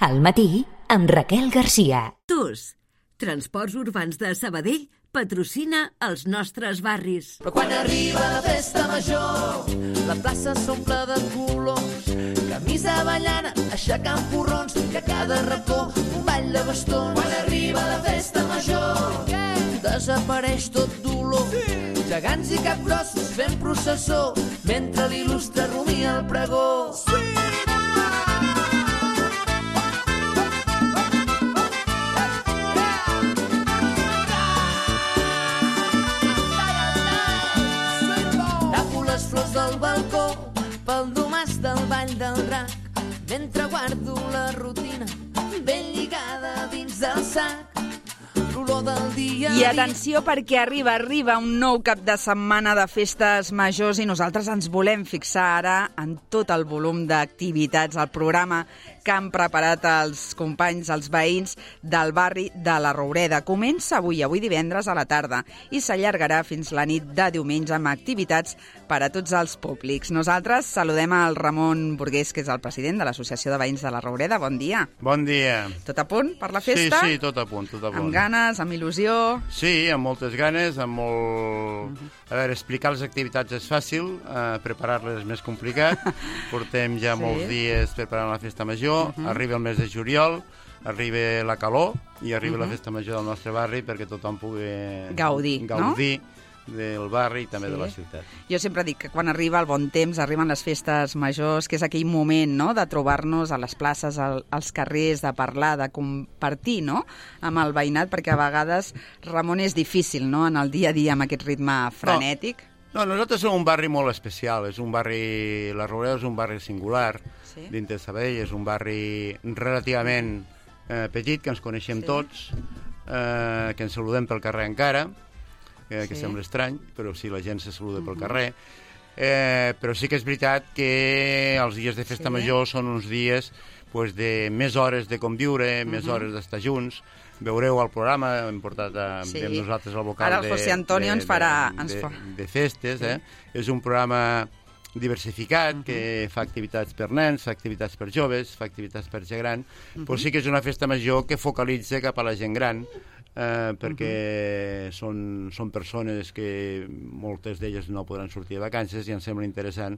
Al matí, amb Raquel Garcia. TUS, Transports Urbans de Sabadell, patrocina els nostres barris. Però quan arriba la festa major, la plaça s'omple de colors, camisa ballana, aixecant porrons, i a cada racó un ball de bastons. Quan arriba la festa major, desapareix tot dolor, gegants i capgrossos fent processó, mentre l'il·lustre rumia el pregó. Del balcó, pel domàs del ball del drac, mentre guardo la rutina ben lligada dins del sac, l'olor del dia. I atenció, perquè arriba un nou cap de setmana de festes majors i nosaltres ens volem fixar ara en tot el volum d'activitats, el programa que han preparat els companys, els veïns del barri de la Roureda. Comença avui divendres a la tarda, i s'allargarà fins la nit de diumenge amb activitats per a tots els públics. Nosaltres saludem al Ramon Burgués, que és el president de l'Associació de Veïns de la Roureda. Bon dia. Bon dia. Tot a punt per la festa? Sí, tot a punt, tot a punt. Amb ganes, amb il·lusió? Sí, amb moltes ganes, amb molt... A veure, explicar les activitats és fàcil, preparar-les és més complicat. Portem ja molts dies preparant la festa major, arriba el mes de juliol, arriba la calor i arriba la festa major del nostre barri perquè tothom pugui gaudir, no? Del barri i també de la ciutat. Jo sempre dic que quan arriba el bon temps, arriben les festes majors, que és aquell moment, no?, de trobar-nos a les places, als carrers, de parlar, de compartir, no?, amb el veïnat, perquè a vegades, Ramon, és difícil, no?, en el dia a dia, amb aquest ritme frenètic. No, nosaltres som un barri molt especial, és un barri, la Roureda és un barri singular, dintre de Sabadell, és un barri relativament petit, que ens coneixem tots, que ens saludem pel carrer encara, que sembla estrany, però sí, la gent se saluda pel carrer. Però sí que és veritat que els dies de festa major són uns dies de més hores de conviure, més hores d'estar junts. Veureu el programa, hem portat amb nosaltres al local ara el José Antonio ens farà de festes. És un programa diversificat, que fa activitats per nens, fa activitats per joves, fa activitats per gent gran, però sí que és una festa major que focalitza cap a la gent gran, perquè són persones que moltes d'elles no podran sortir de vacances i ens sembla interessant,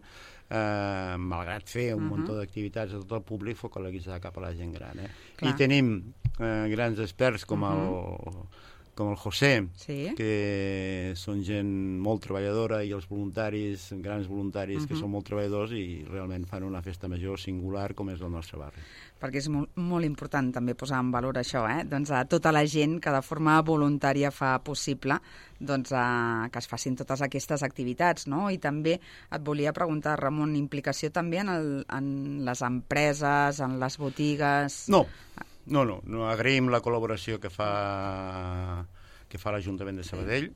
malgrat fer un munt d'activitats a tot el públic, focalitzar cap a la gent gran. I tenim grans experts com el José, que són gent molt treballadora, i els voluntaris, grans voluntaris que són molt treballadors i realment fan una festa major singular com és el nostre barri. Perquè és molt important també posar en valor això, doncs a tota la gent que de forma voluntària fa possible que es facin totes aquestes activitats, no? I també et volia preguntar, Ramon, implicació també en les empreses, en les botigues... No, agraïm la col·laboració que fa l'Ajuntament de Sabadell.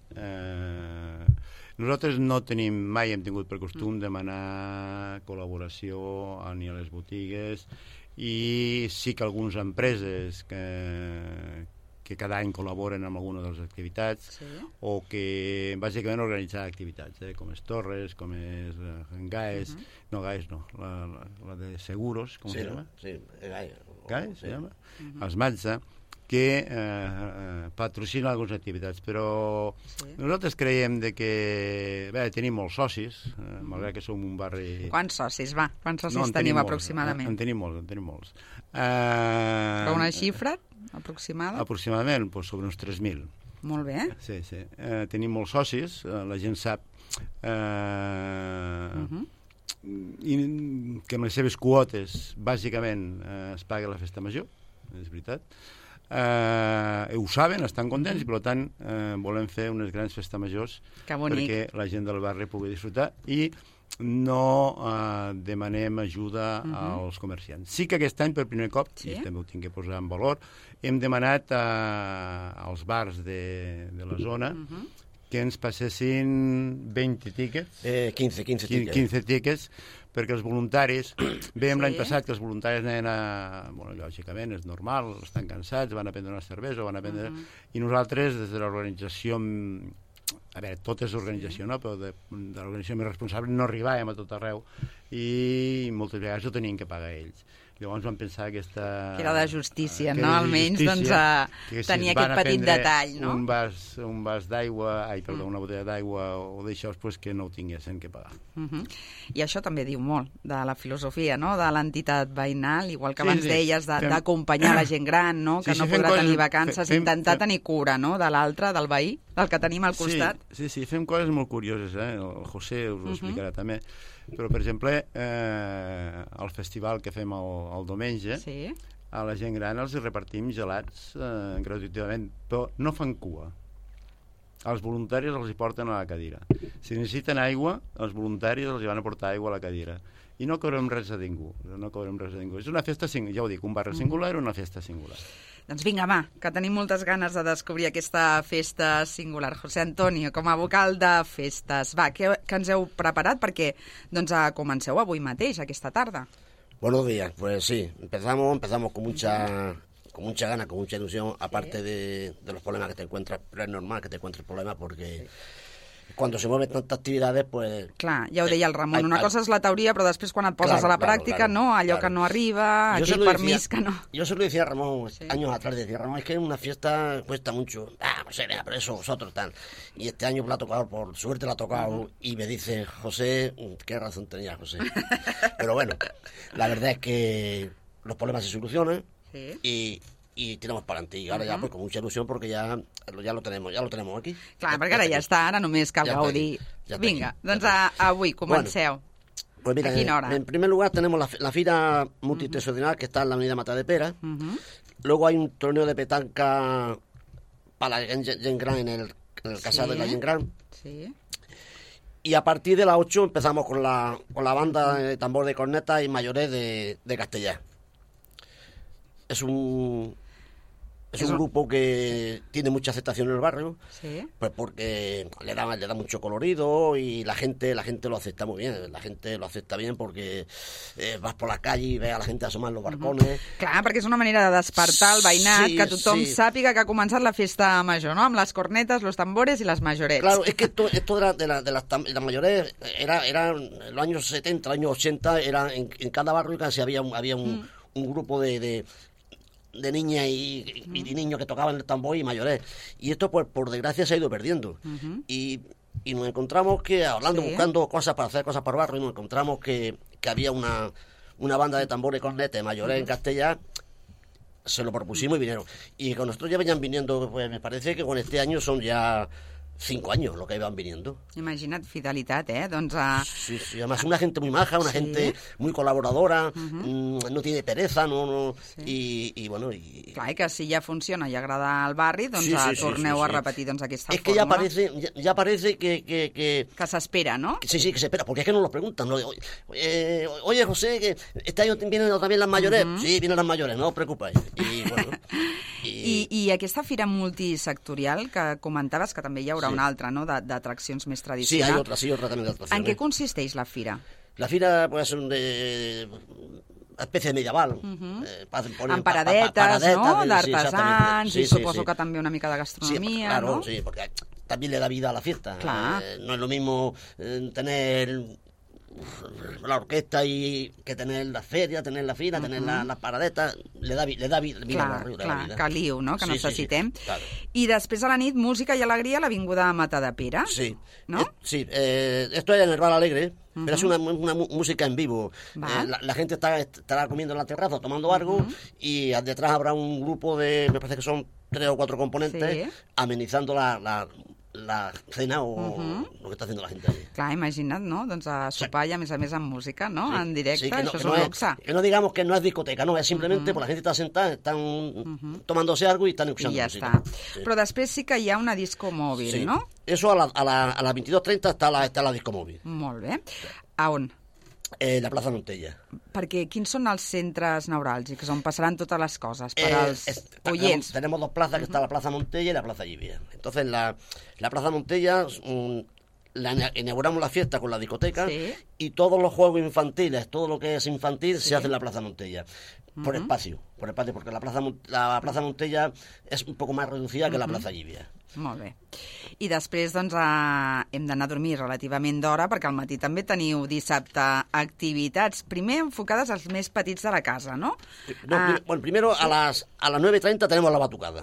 Nosaltres mai hem tingut per costum demanar col·laboració ni a les botigues, i sí que algunes empreses que cada any col·laboren amb alguna de les activitats, o que bàsicament organitzar activitats, com és Torres, com és GAES, GAES no, la de Seguros, com se llama? Sí, GAES se llama? Els Mazda, que patrocina algunes activitats, però nosaltres creiem que tenim molts socis, malgrat que som un barri... Quants socis tenim aproximadament? En tenim molts. Però una xifra aproximada? Aproximadament, sobre uns 3.000. Molt bé. Sí. Tenim molts socis, la gent sap que amb les seves quotes, bàsicament, es paga la festa major, és veritat. Ho saben, estan contents, i per tant volem fer unes grans festes majors perquè la gent del barri pugui disfrutar i no demanem ajuda als comerciants. Sí que aquest any, per primer cop, i també ho tinc que posar en valor, hem demanat als bars de la zona que ens passessin 20 tíquets. 15 tíquets, perquè els voluntaris... Vèiem l'any passat que els voluntaris anaven lògicament, és normal, estan cansats, van a prendre una cervesa, i nosaltres, des de l'organització... A veure, tot és organització, no? Però de l'organització més responsable no arribàvem a tot arreu i moltes vegades ho tenien que pagar ells. Llavors vam pensar que era de justícia, no? Almenys tenir aquest petit detall, no? Un vas d'aigua, una botella d'aigua o d'això, que no ho tinguessin que pagar. I això també diu molt de la filosofia, no?, de l'entitat veïnal, igual que abans deies d'acompanyar la gent gran, no?, que no podrà tenir vacances, intentar tenir cura, no?, de l'altre, del veí, del que tenim al costat. Sí, fem coses molt curioses, el José us ho explicarà també. Però, per exemple, el festival que fem el diumenge, a la gent gran els repartim gelats gratuïtament, però no fan cua. Els voluntaris els hi porten a la cadira. Si necessiten aigua, els voluntaris els hi van a portar aigua a la cadira. I no cobrem res a ningú. És una festa, ja ho dic, un barri singular o una festa singular. Doncs vinga, va, que tenim moltes ganes de descobrir aquesta festa singular. José Antonio, com a vocal de festes, va, què ens heu preparat? Perquè comenceu avui mateix, aquesta tarda. Buenos días, pues sí, empezamos con mucha gana, con mucha ilusión, aparte de los problemas que te encuentras, pero es normal que te encuentres problemas porque cuando se mueven tantas actividades, pues... Clar, ja ho deia el Ramon, una cosa és la teoria, però després quan et poses a la pràctica, no, allò que no arriba, aquell permís que no... Yo se lo decía a Ramón años atrás, decía Ramón, es que una fiesta cuesta mucho, pues pero eso vosotros tal. Y este año me ha tocado, por suerte la ha tocado, y me dice, José, qué razón tenía José. Pero bueno, la verdad es que los problemas se solucionan y tiramos para adelante. Y ahora ya pues con mucha ilusión porque ya lo tenemos aquí. Clar, perquè ara ja està, ara només cal gaudir. Vinga, doncs avui comenceu. Pues mira, en primer lugar tenemos la fira multitexonal que está en la avenida Matadepera. Luego hay un torneo de petanca para la Gent Gran en el casal de la Gent Gran. Sí. Y a partir de las 8 empezamos con la banda de tambor de corneta y mayores de Castellar. Es un grupo que tiene mucha aceptación en el barrio, pues porque le da mucho colorido y la gente lo acepta muy bien. La gente lo acepta bien porque vas por la calle y ves a la gente asomar en los balcones. Clar, perquè és una manera de despertar el veïnat, que tothom sàpiga que ha començat la festa major, ¿no? Amb les cornetes, los tambores y las mayorets. Claro, es que esto de las mayores era en los años 70, años 80, en cada barrio casi había un grupo de niñas y niños que tocaban el tambor y mayores. Y esto, pues, por desgracia, se ha ido perdiendo. Y nos encontramos que, hablando, buscando cosas para hacer cosas para el barrio, y nos encontramos que había una banda de tambores con mayores en Castellar. Se lo propusimos y vinieron. Y con nosotros ya venían viniendo, pues me parece que con este año son ya 5 años lo que iban viniendo. Imagina't, fidelitat, Doncs, Sí, además una gente muy maja, una gente muy colaboradora, no tiene pereza, y bueno... Clar, que si ja funciona i agrada al barri, doncs torneu a repetir aquesta fórmula. Es que ya parece que... Que s'espera, ¿no? Sí, que se espera, porque es que nos lo preguntan, ¿no? Oye, José, que este año vienen también las mayores. Sí, vienen las mayores, no os preocupéis. Y bueno... I aquesta fira multisectorial que comentaves, que també hi haurà una altra, no?, d'atraccions més tradicionals. Sí, otra también de atracciones. En què consisteix la fira? La fira pues, es una especie de medieval. Amb paradetes, no?, d'artesans, i suposo que també una mica de gastronomia, claro, ¿no? Sí, porque también le da vida a la fiesta. No es lo mismo tener la orquesta y que tener la feria, tener la fira, tener las paradetes, le da vida al barrio. Clar, caliu, no?, que necessitem. Claro. I després a la nit, música i alegria a l'Avinguda Matadepera. Sí, ¿no? Esto es en el Bar Alegre, pero es una música en vivo. La gente estará comiendo en la terraza, tomando algo, y detrás habrá un grupo de, me parece que son 3 o 4 componentes, amenizando la cena o lo que está haciendo la gente allí. Clar, imagina't, no? Doncs a sopar i a més amb música, no? En directe, això és un luxe. Que no digamos que no es discoteca, no, es simplemente pues la gente está sentada, están tomándose algo y están escuchando música. Ja està. Però després sí que hi ha una disco mòbil, no? Eso a las 22:30 está la disco mòbil. Molt bé. A on? La plaza Montella. Perquè quins són els centres neuràlgics on passaran totes les coses per als oients? Tenemos 2 plazas, que está la plaza Montella y la plaza Llibia. Entonces, la plaza Montella, inauguramos la fiesta con la discoteca y todos los juegos infantiles, todo lo que es infantil se hace en la Plaza Montella. Por espacio, porque la plaça Montella és un poc més reducida que la plaça Llívia. Molt bé. I després doncs, hem d'anar a dormir relativament d'hora, perquè al matí també teniu dissabte activitats, primer enfocades als més petits de la casa, no? Bueno, primero a las 9:30 tenemos la batucada.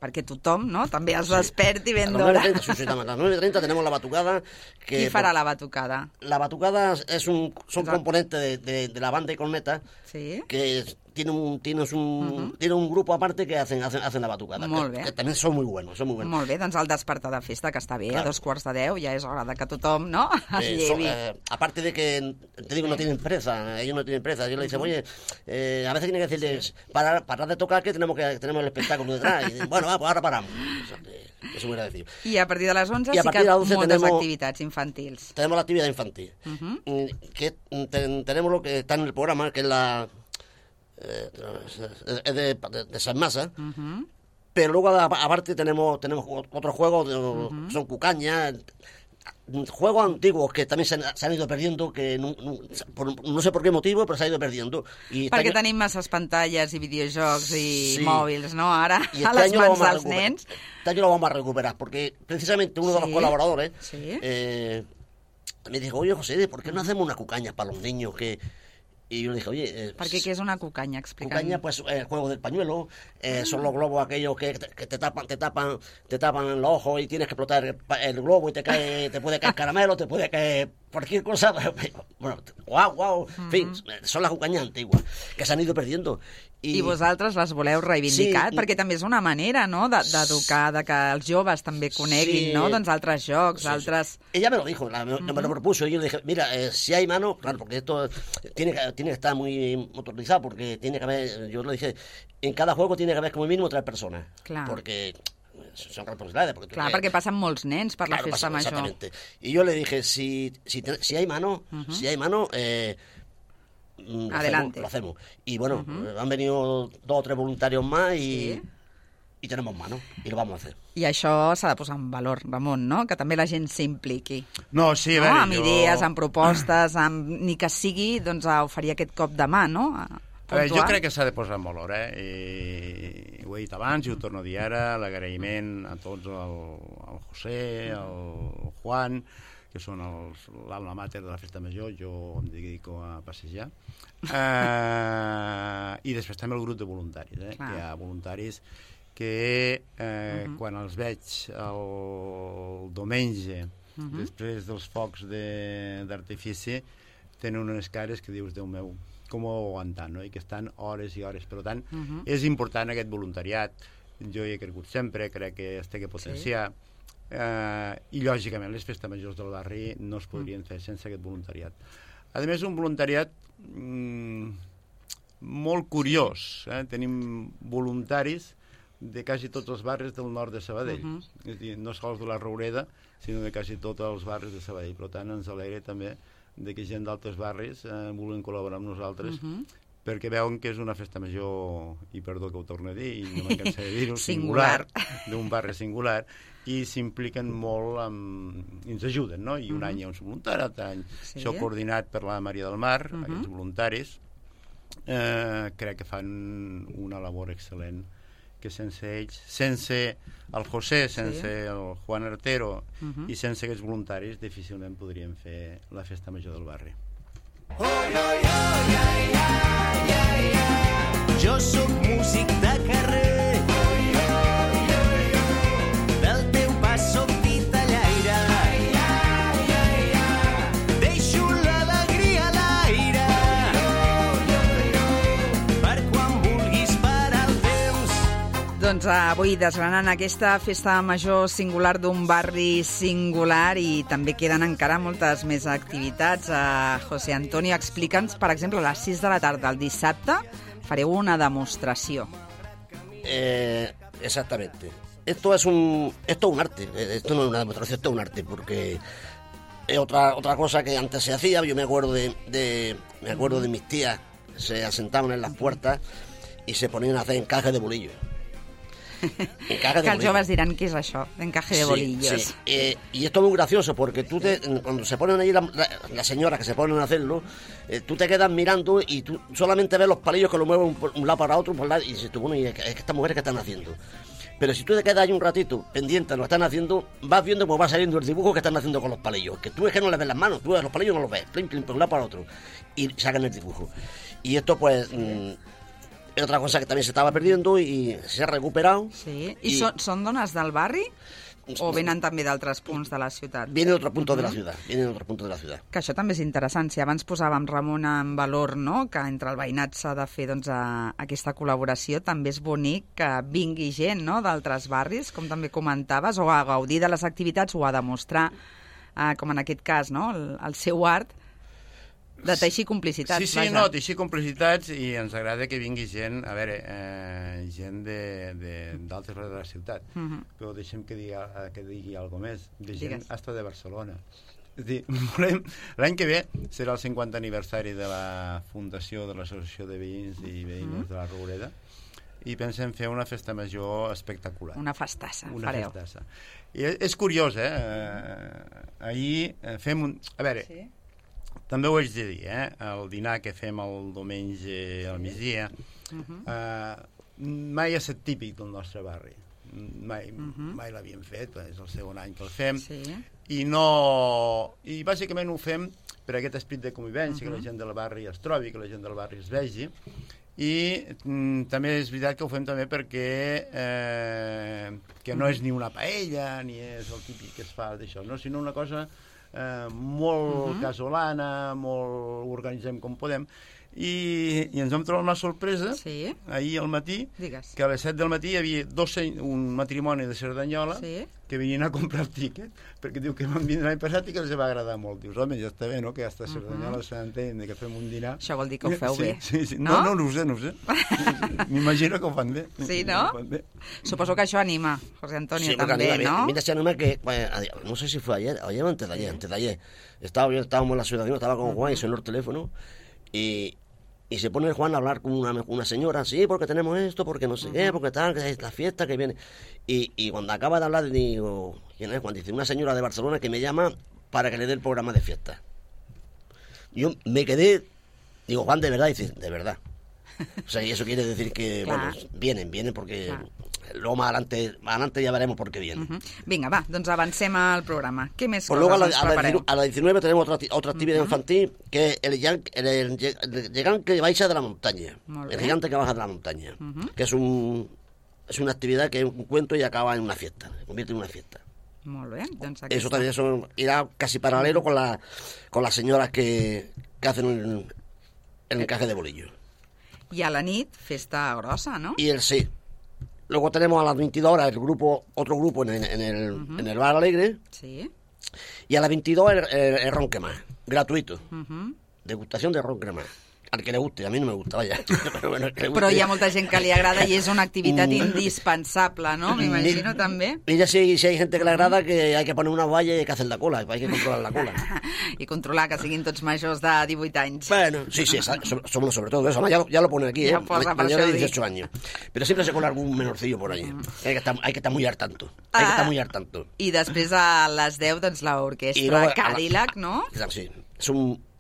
Perquè tothom, no?, també es desperti ben d'hora. A las 9:30 tenemos la batucada. Qui farà la batucada? La batucada son componentes de la banda y corneta, que tiene un grupo aparte que hacen la batucada. Molt bé. Que también son muy buenos. Molt bé, doncs el despertar de festa, que està bé, a 2:45, ja és hora de que tothom, no?, es llevi. Aparte de que, te digo, no tienen presa, ellos no tienen presa. Yo le dice, oye, a veces tiene que decirles, parar de tocar que tenemos el espectáculo detrás. Y dicen, bueno, pues ahora paramos. Eso me hubiera decir. I a partir de les 11 sí que moltes activitats infantils. Tenemos la actividad infantil. Que tenemos lo que está en el programa, que es la... de San Masa, pero luego aparte tenemos otros juegos, son cucañas, juegos antiguos que también se han ido perdiendo, que no sé por qué motivo, però s'ha ido perdiendo. Perquè tenim masses pantalles i videojocs i mòbils, ¿no?, ara, a les mans dels nens. Este año lo vamos a recuperar, porque precisamente uno de los colaboradores me dijo, oye, José, ¿por qué no hacemos una cucaña para los niños que... Y yo le dije, oye... Perquè què és una cucanya? Explica'm. Cucanya, pues, el juego del pañuelo, son los globos aquellos que te tapan los ojos y tienes que explotar el globo y te puede caer caramelo, te puede caer cualquier cosa. Bueno, guau, en fin, son las cucanyes antiguas, que s'han ido perdiendo. I vosaltres les voleu reivindicar? Perquè també és una manera, no?, d'educar, de que els joves també coneguin, no?, doncs altres jocs, altres... Ella me lo dijo, me lo propuso, y yo le dije, mira, si hay mano, claro, porque esto tiene que estar muy motorizado, porque tiene que haber, yo le dije, en cada juego tiene que haber como mínimo 3 personas. Clar. Porque son responsabilidades. Clar, perquè passen molts nens per la festa major. Exactamente. Y yo le dije, si hay mano, adelante. Lo hacemos. Y bueno, han venido 2 o 3 voluntarios más y tenemos mano, y lo vamos a hacer. I això s'ha de posar en valor, Ramon, no?, que també la gent s'impliqui. No, sí, no? Amb idees, amb propostes, ni que sigui doncs, a oferir aquest cop de mà, no?, jo crec que s'ha de posar en valor, i ho he dit abans i ho torno a dir ara, l'agraïment a tots, al José, al Juan, que són l'alma mater de la festa major, jo em dedico a passejar, i després també el grup de voluntaris, que hi ha voluntaris que quan els veig el diumenge, després dels focs d'artifici, tenen unes cares que dius, Déu meu, com ho aguantant, no? I que estan hores i hores. Per tant, és important aquest voluntariat. Jo hi he cregut sempre, crec que es té que potenciar. I, lògicament, les festes majors del barri no es podrien fer sense aquest voluntariat. A més, un voluntariat molt curiós. Tenim voluntaris de quasi tots els barris del nord de Sabadell. És a dir, no sols de la Roureda, sinó de quasi tots els barris de Sabadell. Per tant, ens alegra també de que gent d'altres barris vulguin col·laborar amb nosaltres, perquè veuen que és una festa major, i perdó que ho torno a dir, i no me'n cansaré de dir-ho, singular, d'un barri singular, i s'impliquen molt, i ens ajuden, no? I un any hi ha un voluntari, l'altre any això coordinat per la Maria del Mar, aquests voluntaris, crec que fan una labor excel·lent, que sense ells, sense el José, sense el Juan Artero i sense aquests voluntaris difícilment podríem fer la festa major del barri. Jo sóc músic de carrer, del teu pas sóc titellaire, deixo l'alegria a l'aire, per quan vulguis parar el temps. Doncs avui desgranant aquesta festa major singular d'un barri singular, i també queden encara moltes més activitats. José Antonio, explica'ns, per exemple, a les 6 de la tarda el dissabte fareu una demostració. Exactamente. Esto es un arte. Esto no es una demostración, esto es un arte, porque es otra cosa que antes se hacía. Yo me acuerdo de mis tías, se asentaban en las puertas y se ponían a hacer encajes de bolillos. Que els joves diran, ¿qué es això? Encaje de bolillos. Sí. Y esto es muy gracioso, porque cuando se ponen ahí las señoras que se ponen a hacerlo, tú te quedas mirando y tú solamente ves los palillos que lo mueven un lado para otro, y dices tú, bueno, ¿y es que estas mujeres qué están haciendo? Pero si tú te quedas ahí un ratito pendiente de lo que están haciendo, vas viendo cómo va saliendo el dibujo que están haciendo con los palillos. Que tú es que no les ves las manos, tú los palillos no los ves, plim, plim, de un lado para otro. Y sacan el dibujo. Y esto, pues, es otra cosa que también se estaba perdiendo y se ha recuperado. Sí. I són dones del barri? O venen també d'altres punts de la ciutat? Vienen de otros puntos de la ciudad, Que això també és interessant. Si abans posàvem, Ramon, en valor, no?, que entre el veïnat s'ha de fer aquesta col·laboració, també és bonic que vingui gent, no?, d'altres barris, com també comentaves, o a gaudir de les activitats o a demostrar, com en aquest cas, no?, el seu art, de teixir complicitats. Sí, no, teixir complicitats, i ens agrada que vingui gent, a veure, gent d'altres barris de la ciutat, però deixem que digui alguna més, de gent hasta de Barcelona. És dir, l'any que ve serà el 50 aniversari de la fundació de l'Associació de Veïns i Veïnes de la Roureda, i pensem fer una festa major espectacular. Una festassa, fareu. Festassa. I és curiós, ahir fem un... A veure, també ho haig de dir, el dinar que fem el diumenge al migdia mai ha estat típic del nostre barri. Mai l'havíem fet, és el segon any que el fem, i bàsicament ho fem per aquest esperit de convivència, que la gent del barri es trobi, que la gent del barri es vegi, i també és veritat que ho fem també perquè que no és ni una paella ni és el típic que es fa d'això, sinó una cosa molt casolana, molt organitzem com podem, i ens vam trobar una sorpresa ahir al matí, que a les 7 del matí hi havia un matrimoni de Cerdanyola que venien a comprar el tíquet, perquè diu que van vindre l'any passat i que els va agradar molt. Dius, home, ja està bé, no?, que hasta Cerdanyola s'entén que fem un dinar. Això vol dir que ho feu bé. No, no ho sé. M'imagino que ho fan bé. Sí, no? Suposo que això anima, José Antonio, també, ¿no? Mira, se anima que, no sé si fue ayer o antes de ayer. Estábamos en la ciudad, estaba con Juan y sonó el teléfono y se pone el Juan a hablar con una señora, sí, porque tenemos esto, porque no sé qué, porque tal, que es la fiesta que viene. Y cuando acaba de hablar, digo, ¿quién es Juan? Dice, una señora de Barcelona que me llama para que le dé el programa de fiesta. Yo me quedé, digo, Juan, ¿de verdad? Dice, de verdad. O sea, y eso quiere decir que, bueno, vienen porque... Luego más adelante ya veremos por qué viene. Vinga, va, doncs avancem al programa. Què més pues coses ens prepareu? A la 19 tenemos otra actividad infantil, que es el gigante que baja de la montaña. El gigante que baja de la montaña. Que es una actividad que es un cuento y acaba en una fiesta. Se convierte en una fiesta. Molt bé. Doncs eso también irá casi paralelo con las señoras que hacen el encaje de bolillo. I a la nit, festa grossa, ¿no? Y sí. Luego tenemos a las 22 horas otro grupo en el Bar Alegre. Sí. Y a las 22 el ron cremà, gratuito. Degustación de ron cremà. Al que le guste, a mí no me gusta, vaya. Però hi ha molta gent que li agrada i és una activitat indispensable, ¿no? M'imagino també. Mira, si hay gente que le agrada, que hay que poner una valla y hay que hacer la cola, hay que controlar la cola. I controlar que siguin tots majors de 18 anys. Bueno, sí, somos sobre todo eso. Ya lo pone aquí, ya mayor de 18 años. Pero siempre se cola algún menorcillo por ahí. Hay que estar muy al tanto. I després a les 10, doncs, l'orquestra Cadillac, ¿no? Sí, es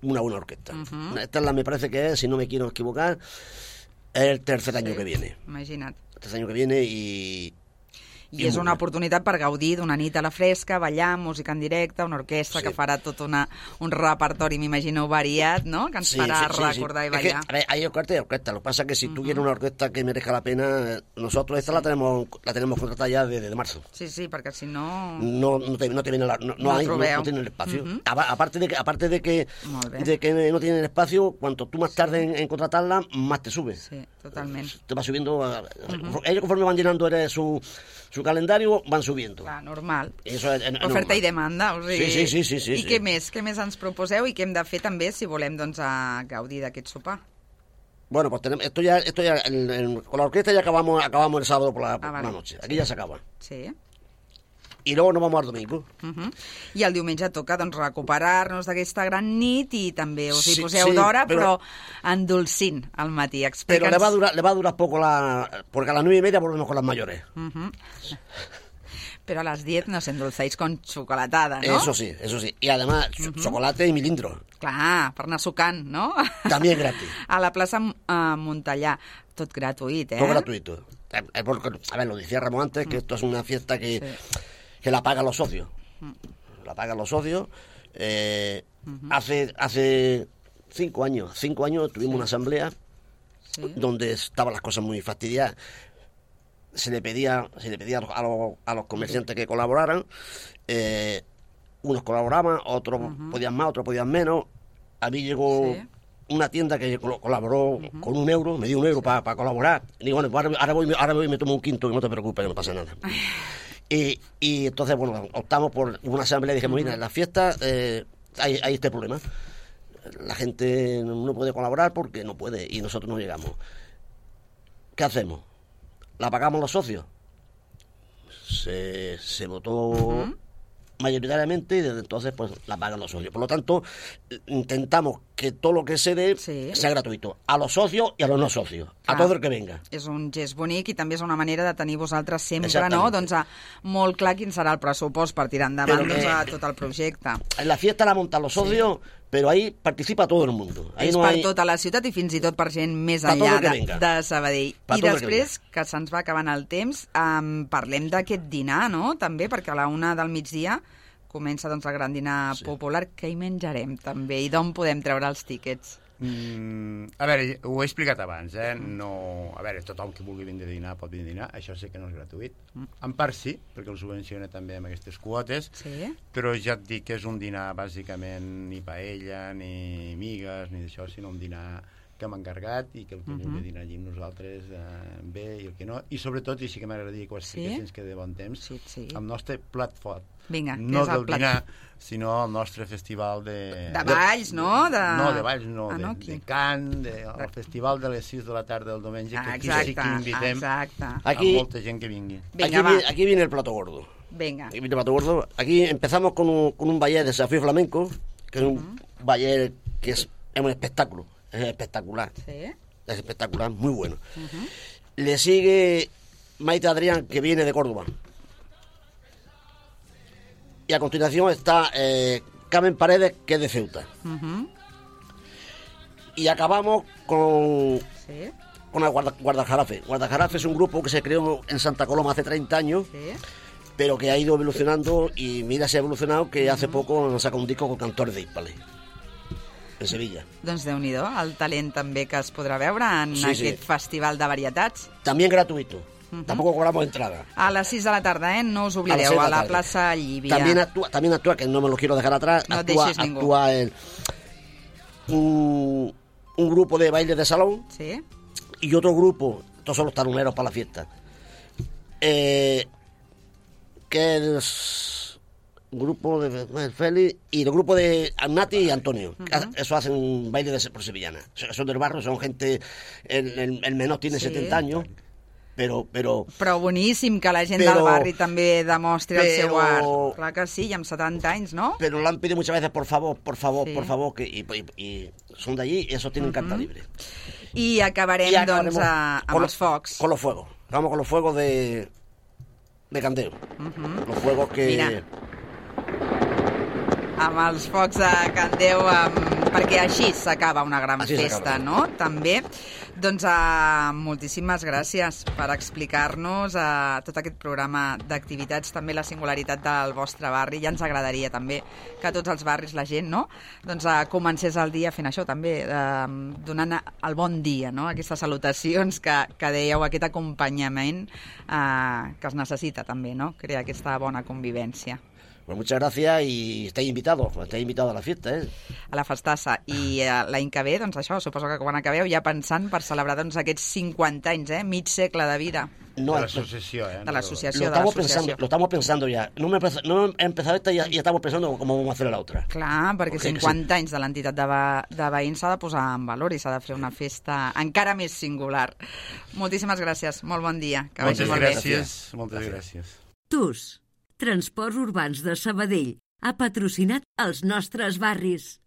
una buena orquesta. Esta me parece que es, si no me quiero equivocar, el tercer año que viene. Imagina't. El tercer año que viene i és una oportunitat per gaudir d'una nit a la fresca, ballar, música en directe, una orquestra que farà tot un repertori, m'imagino, variat, ¿no?, que ens farà recordar y ballar. Es que hay orquesta y orquesta. Lo que pasa es que si tú quieres una orquesta que merezca la pena, nosotros esta la tenemos contratada ya desde marzo. Sí, perquè si no... No te viene no tiene el espacio. Aparte de que no tiene el espacio, cuanto tú más tarde en contratarla, más te sube. Sí, totalment. Te va subiendo... Ellos conforme van llenando su calendario, van subiendo. Clar, normal. Eso es oferta normal. I demanda. O sigui... Sí. I què més ens proposeu i què hem de fer també si volem, doncs, a gaudir d'aquest sopar? Bueno, pues esto ya con la orquesta ya acabamos el sábado por la noche. Aquí ya se acaba. Sí. y luego nos vamos al domingo. I el diumenge toca doncs, recuperar-nos d'aquesta gran nit i també us hi poseu d'hora, però endolcint al matí. Pero le va a durar poco porque a las 9:30 volvemos con las mayores. Pero a las 10 nos endulzáis con chocolatada, ¿no? Eso sí. Y además, chocolate y milindro. Clar, per anar sucant, no? También gratis. A la plaça Montellà. Tot gratuït, Todo gratuito. A ver, lo decía Ramón antes, que esto es una fiesta que la pagan los socios. La pagan los socios. Hace 5 años tuvimos una asamblea donde estaban las cosas muy fastidiadas. Se le pedía a los comerciantes que colaboraran. Unos colaboraban, otros podían más, otros podían menos. A mí llegó una tienda que colaboró con €1, me dio €1 para colaborar. Y digo, bueno, ahora voy y me tomo un quinto, que no te preocupes, que no pasa nada. Y entonces, bueno, optamos por una asamblea y dijimos, mira, en las fiestas hay este problema. La gente no puede colaborar porque no puede y nosotros no llegamos. ¿Qué hacemos? ¿La pagamos los socios? Se votó mayoritariamente y desde entonces pues la pagan los socios. Por lo tanto, intentamos que todo lo que se dé sea gratuito. A los socios i a los no socios. A tot el que venga. És un gest bonic i també és una manera de tenir vosaltres sempre, no? Doncs molt clar quin serà el pressupost per tirar endavant tot el projecte. En la fiesta la montan los socios, pero ahí participa todo el mundo. Ahí és no per hay... tota la ciutat i fins i tot per gent més enllà de Sabadell. I després, que se'ns va acabant el temps, parlem d'aquest dinar, no? També, perquè a la 1 del migdia comença doncs, el gran dinar popular. Què hi menjarem, també? I d'on podem treure els tíquets? A veure, ho he explicat abans, no... A veure, tothom que vulgui vindre a dinar pot vindre a dinar, això sé que no és gratuït. En part sí, perquè el subvenciona també amb aquestes quotes, però ja et dic que és un dinar bàsicament ni paella, ni migues, ni d'això, sinó un dinar que hem encarregat i que el que vulgui dinar allí amb nosaltres bé i el que no. I sobretot, i sí que m'agradaria que ho expliquessin que de bon temps, el nostre plat fort. Vinga, no del dinar, sinó el nostre festival de... De balls, no? No, de balls no, de cant, el festival de les 6 de la tarda del diumenge, que aquí sí que invitem a molta gent que vingui. Aquí viene el plato gordo. Venga. Aquí viene el plato gordo. Aquí empezamos con un ballet de desafío flamenco, que es un ballet que es un espectáculo. Es espectacular. Es espectacular, muy bueno. Le sigue Maite Adrián, que viene de Córdoba. Y a continuación está Carmen Paredes, que es de Ceuta. Y acabamos con el Guardajarafe. Guardajarafe es un grupo que se creó en Santa Coloma hace 30 años, pero que ha ido evolucionando y mira, se ha evolucionado que hace poco nos sacado un disco con Cantores de Hispale. En Sevilla. Doncs Déu-n'hi-do, el talent també que es podrà veure en aquest festival de varietats. També gratuito. Tampoco cobramos entrada. A las 6 de la tarde, no os oblideu, a la Plaza Llívia. También actúa, que no me lo quiero dejar atrás, no actúa un grupo de baile de salón y otro grupo, estos son los taruneros para la fiesta, que es un grupo de Félix y el grupo de Nati y Antonio. Eso hacen un baile por sevillana. Son del barrio, son gente, el menor tiene 70 años. Però boníssim que la gent del barri també demostri el seu art. Clar que sí, i amb 70 anys, ¿no? Pero lo han pedido muchas veces, por favor, que, y son de allí y eso tienen carta libre. I acabarem doncs, amb els focs. Con los fuegos. Vamos con los fuegos de Candeo. Los fuegos que... Mira. Amb els focs de Candeu, perquè així s'acaba una gran festa, no? També. Doncs moltíssimes gràcies per explicar-nos tot aquest programa d'activitats, també la singularitat del vostre barri. Ja ens agradaria també que tots els barris, la gent, no? Doncs comencés el dia fent això també, donant el bon dia, no? Aquestes salutacions que dèieu, aquest acompanyament que es necessita també, no? Crear aquesta bona convivència. Pues muchas gracias y estáis invitados a la fiesta, a la festassa. I l'any que ve, doncs això, suposo que quan acabeu ja pensant per celebrar doncs, aquests 50 anys, mig segle de vida. No, de l'associació, De l'associació, Lo estamos pensando ya. No he empezado esta y ya estamos pensando cómo vamos a hacer la otra. Clar, perquè 50 anys de l'entitat de veïns s'ha de posar en valor i s'ha de fer una festa encara més singular. Moltíssimes gràcies, molt bon dia. Que moltes gràcies. Moltes gràcies. TUS, Transports Urbans de Sabadell ha patrocinat els nostres barris.